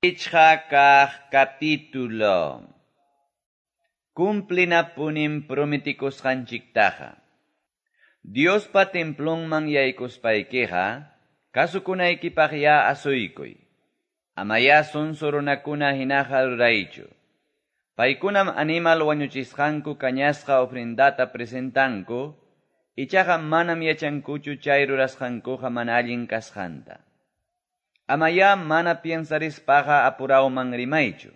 Pichqa kaq capítulo. Cumplinapunim prometikusqanchiktaqa. Diospa templonman yaykuspaykiqa, kasukunaykipaqyá asuykuy. Amayá sonso runakuna hinaqa ruraychu. Paykunam animal wañuchisqanku kañasqa ofrendata presentanku, ichaqa manam yachankuchu chay rurasqankuqa mana allin kasqanta. Amayá mana piensarispaqa apurawman rimaychu.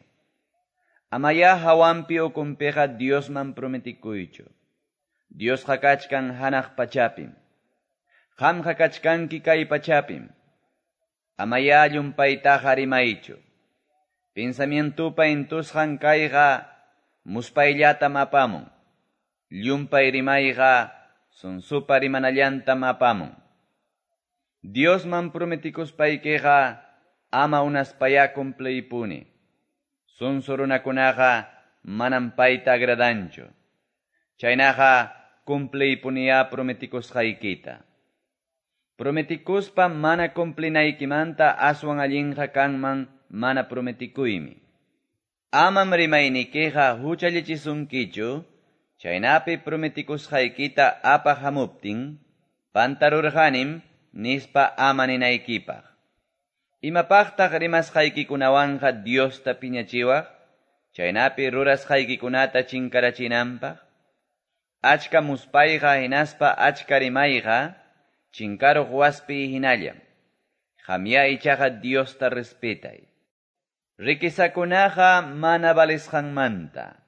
Amayá hawanpi ukunpiqa Diosman prometikuychu. Diosqa kachkan hanaq pachapim. Qamqa kachkanki kay pachapim. Amayá llumpaytaqa rimaychu. Pensamientupa intusqan kayqa muspayllatam apamun. Llumpay rimayqa sonsopa rimanallantam apamun. Diosman prometikuspaykiqa ama unaspayá cumpliypuni. Sonso runakunaqa manam payta agradanchu. Chaynaqa cumpliypuniyá prometikusqaykita. Prometikuspa mana cumplinaykimanta aswan allinqa kanman mana prometikuymi. Amam rimaynikiqa huchallichisunkichu, chaynapi prometikusqaykita apaq hamuptin, pantarurqanim nispa ama ninaykipaq. Imapaqtaq rimasqaykikunawanqa Diosta piñachiwaq, chaynapi rurasqaykikunata chinkarachinanpaq? Achka muspayqa hinaspa achka rimayqa, chinkaruq waspi hinallam. Qamyá ichaqa Diosta respetay. Riquezakunaqa mana valisqanmanta.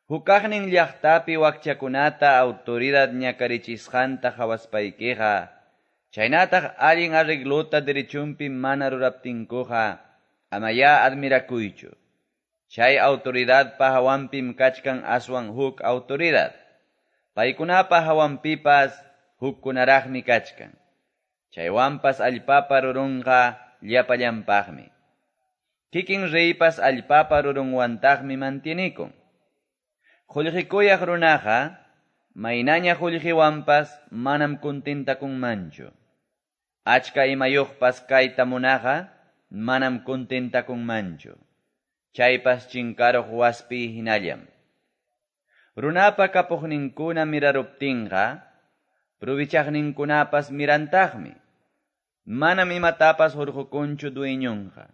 Hukaqnin llaqtapi wakchakunata autoridad ñakarichisqanta qawaspaykiqa, chaynataq allin arreglota derechunpi mana ruraptinkuqa, amayá admirakuychu. Chay autoridadpa hawanpim kachkan aswan huk autoridad. Paykunapa hawanpipas hukkunaraqmi kachkan. Chaywanpas allpapa rurunqa llapallanpaqmi. Kikin reypas allpapa rurunwantaqmi mantienikun. Qullqikuyaq runaqa, maynaña qullqiwanpas manam contentakunmanchu. Achka imayuqpas kayta munaqa, manam contentakunmanchu. Chaypas chinkaruq waspi hinallam. Runapa kapuqninkuna miraruptinqa, provichaqninkunapas mirantaqmi. Manam imatapas hurqukunchu dueñonqa.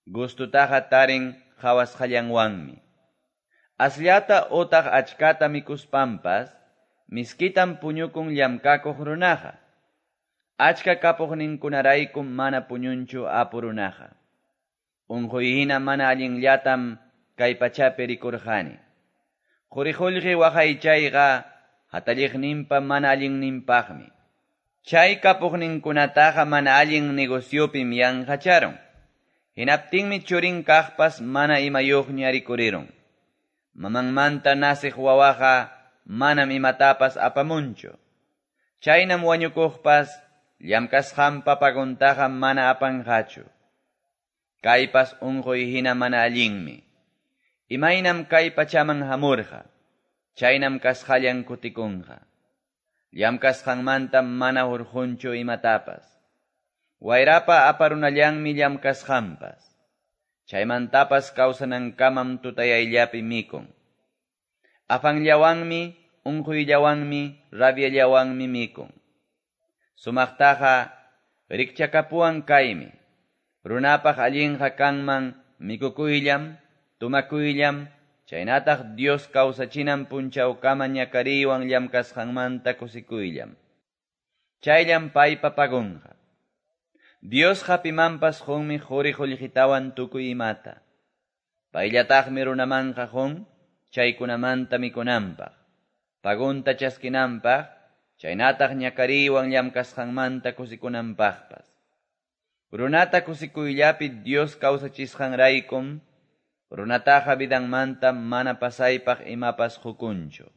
Gustutaqa tarin qhawasqallanwanmi. Asllata utaq achkata mikuspanpas, miskitam puñukun llamkakuq runaqa. Achka kapuqninkunaraykum mana puñunchu apu runaqa. Unquy hina mana allinllatam kay pachapi rikurqani. Quri-qullqi waqaychayqa hatalliqninpa mana allinninpaqmi. Chay kapuqninkunataqa mana allin negociopim yanqacharun. Hinaptinmi churin kaqpas mana imayuqña rikurirun. Mamanmanta nasiq wawaqa manam imatapas apamunchu. Chaynam wañukuqpas llamkasqanpa paguntaqa mana apanqachu. Kaypas unquy hina mana allinmi. Imaynam kay pachaman hamurqa, chaynam kasqallan kutikunqa. Llamkasqanmanta mana hurqunchu imatapas. Wayrapa aparunallanmi llamkasqanpas. Chaymantapas kawsanankamam tutayayllapi mikun. Afanllawanmi, unquyllawanmi, rabiallawanmi mikun. Sumaqtaqa rikchakapuwan kaymi. Runapaq allinqa kanman mikukuyllam, tumakuyllam, chaynataq Dios kawsachinan punchawkama ñakariywan llamkasqanmanta kusikuyllam. Chayllam paypa pagunqa. Diosqa pimanpas qunmi quri qullqitawan tukuy imata. Payllataqmi runamanqa qun chaykunamanta mikunanpaq, pagunta chaskinanpaq, chaynataq ñakariywan llamkasqanmanta kusikunanpaqpas. Runata kusikuyllapi Dios kawsachisqanraykum, runataqa vidanmanta mana pasaypaq imapas qukunchu.